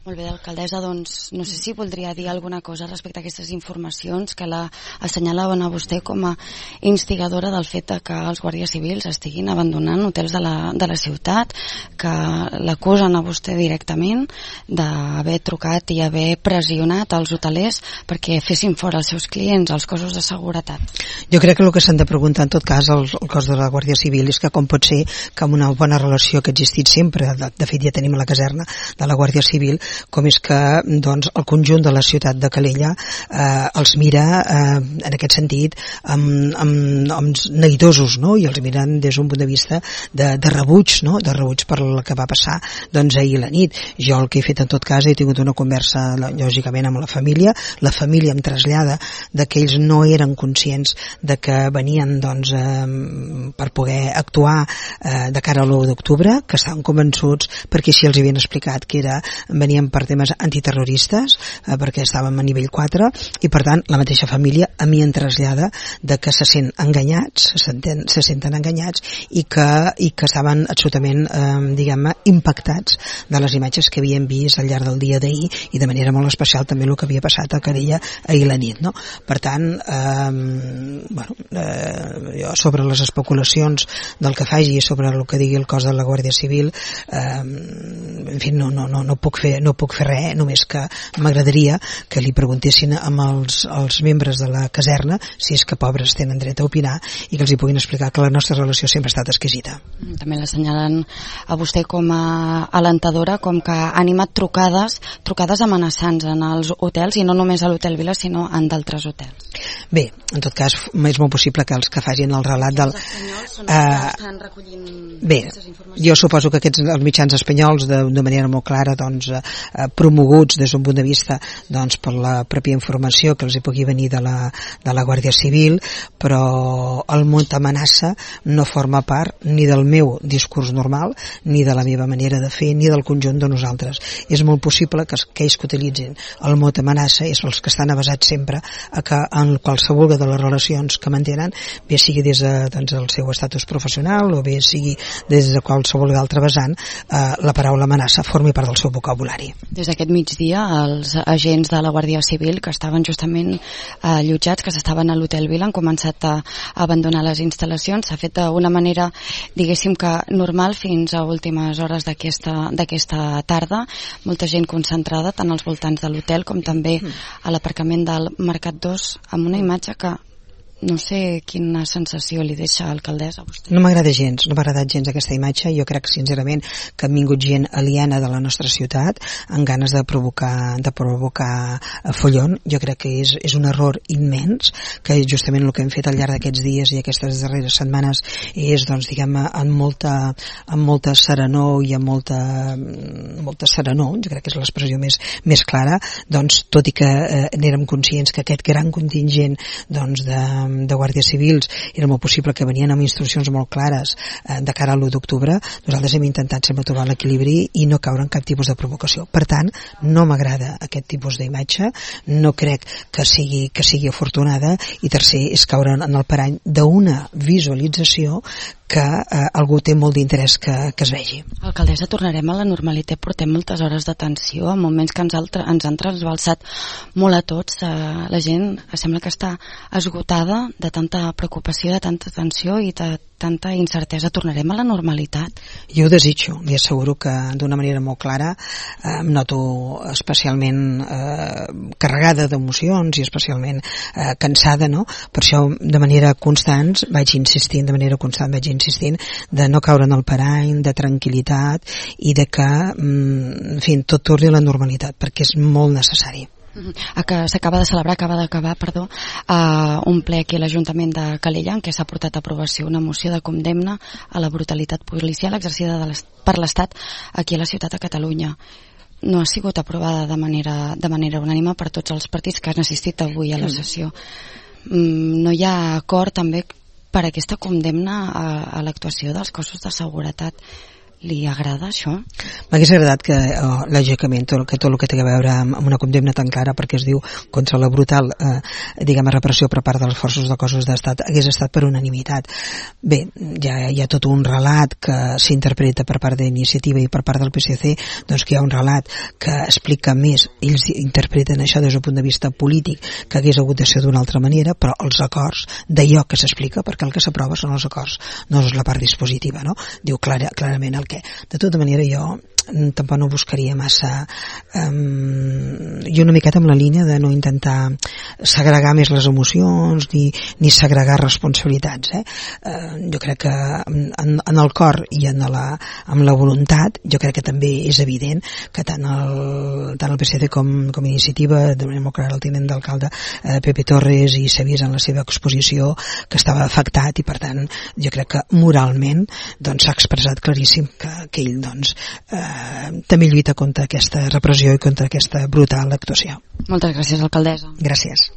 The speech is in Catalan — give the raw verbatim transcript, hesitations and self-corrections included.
Molt bé, alcaldessa, doncs no sé si voldria dir alguna cosa respecte a aquestes informacions que la assenyalaven a vostè com a instigadora del fet que els guàrdies civils estiguin abandonant hotels de la, de la ciutat, que l'acusen a vostè directament d'haver trucat i haver pressionat els hotelers perquè fessin fora els seus clients, els cossos de seguretat. Jo crec que el que s'han de preguntar en tot cas el, el cos de la Guàrdia Civil és que com pot ser que amb una bona relació que ha existit sempre, de, de fet ja tenim a la caserna de la Guàrdia Civil, com és que doncs, el conjunt de la ciutat de Calella eh, els mira eh, en aquest sentit amb, amb, amb neguitosos, no? I els miren des d'un punt de vista de, de rebuig, no? De rebuig per el que va passar doncs, ahir la nit. Jo el que he fet en tot cas he tingut una conversa lògicament amb la família, la família em trasllada de que ells no eren conscients de que venien doncs, eh, per poder actuar eh, de cara a l'u d'octubre, que estaven convençuts perquè així els havien explicat que era, venien per temes antiterroristes, eh, perquè estàvem a nivell quatre, i per tant la mateixa família a mi em trasllada de que se sent enganyats, se senten, se senten enganyats i que, i que estaven absolutament eh, diguem-ne, impactats de les imatges que havien vist al llarg del dia d'ahir i de manera molt especial també el que havia passat a Calella ahir la nit, no? Per tant, eh, bueno, eh, jo sobre les especulacions del que faci i sobre el que digui el cos de la Guàrdia Civil, eh, en fi, no, no, no, no puc fer, no puc fer res, només que m'agradaria que li preguntessin amb els, els membres de la caserna si és que pobres tenen dret a opinar i que els hi puguin explicar que la nostra relació sempre ha estat exquisita. També l'assenyalen a vostè com a alentadora, com que ha animat trucades, trucades amenaçants en els hotels, i no només a l'Hotel Vila, sinó en d'altres hotels. Bé, en tot cas, és molt possible que els que facin el relat del... Els espanyols són els que estan recollint bé, jo suposo que aquests els mitjans espanyols de, de manera molt clara doncs, eh, promoguts des d'un punt de vista doncs, per la pròpia informació que els hi pugui venir de la, de la Guàrdia Civil, però el mot amenaça no forma part ni del meu discurs normal, ni de la meva manera de fer, ni del conjunt de nosaltres. És molt possible que aquells que utilitzin el mot amenaça és els que estan avasats sempre a que en qualsevol de les relacions que mantenen, bé sigui des de, doncs, el seu estatus professional o bé sigui des de qualsevol altre vessant, eh, la paraula amenaça formi part del seu vocabulari. Des d'aquest migdia, els agents de la Guàrdia Civil que estaven justament eh, allotjats, que s'estaven a l'Hotel Vila, han començat a, a abandonar les instal·lacions. S'ha fet d'una manera, diguéssim que normal, fins a últimes hores d'aquesta d'aquesta tarda. Molta gent concentrada tant als voltants de l'hotel com també a l'aparcament del Mercat dos, amb una imatge que no sé quina sensació li deixa alcaldessa a vostè. No m'agrada gens, no m'ha agradat gens aquesta imatge. Jo crec sincerament que ha vingut gent aliena de la nostra ciutat amb ganes de provocar de provocar follon. Jo crec que és, és un error immens, que justament el que hem fet al llarg d'aquests dies i aquestes darreres setmanes és, doncs, diguem-ne, amb molta, amb molta serenor i amb molta, molta serenor, jo crec que és l'expressió més, més clara, doncs, tot i que eh, n'érem conscients que aquest gran contingent doncs, de de guàrdies civils era molt possible que venien amb instruccions molt clares eh, de cara a l'u d'octubre, nosaltres hem intentat sempre trobar l'equilibri i no caure en cap tipus de provocació. Per tant, no m'agrada aquest tipus d'imatge, no crec que sigui, que sigui afortunada, i tercer, és caure en el parany d'una visualització que eh, algú té molt d'interès que, que es vegi. Alcaldessa, tornarem a la normalitat, portem moltes hores de tensió, en moments que ens, altre, ens han transbalsat molt a tots, eh, la gent sembla que està esgotada de tanta preocupació, de tanta tensió i de tanta incertesa. Tornarem a la normalitat? Jo ho desitjo, li asseguro que d'una manera molt clara eh, em noto especialment eh, carregada d'emocions i especialment eh, cansada, no? Per això de manera constant vaig insistint, de manera constant vaig insistint de no caure en el parany, de tranquil·litat i de que, en fi, tot torni a la normalitat, perquè és molt necessari. A que s'acaba de celebrar, acaba d'acabar, perdó, uh, un ple aquí a l'Ajuntament de Calella en què s'ha portat a aprovació una moció de condemna a la brutalitat policial exercida de per l'Estat aquí a la ciutat de Catalunya. No ha sigut aprovada de manera, de manera unànime per tots els partits que han assistit avui a la sessió. Mm, no hi ha acord també per aquesta condemna a, a l'actuació dels cossos de seguretat. li agrada això? M'hagués agradat que, oh, lògicament, tot, que tot el que té a veure amb, amb una condemna tan clara, perquè es diu contra la brutal eh, diguem, repressió per part dels forces de cossos d'estat, hagués estat per unanimitat. Bé, ja hi ha tot un relat que s'interpreta per part d'Iniciativa i per part del P S C, doncs que hi ha un relat que explica més, ells interpreten això des del punt de vista polític, que hagués hagut de ser d'una altra manera, però els acords d'allò que s'explica, perquè el que s'aprova són els acords, no és la part dispositiva, no? Diu clara, clarament el què. De tota manera, jo tampoc no buscaria massa um, i una miqueta amb la línia de no intentar segregar més les emocions ni, ni segregar responsabilitats, eh? Uh, jo crec que en, en el cor i en la, amb la voluntat jo crec que també és evident que tant el, tant el P S C com, com Iniciativa, de manera molt clara el tinent d'alcalde eh, Pepe Torres, i s'ha vist en la seva exposició que estava afectat, i per tant jo crec que moralment doncs s'ha expressat claríssim que, que ell doncs eh, també lluita contra aquesta repressió i contra aquesta brutal actuació. Moltes gràcies, alcaldessa. Gràcies.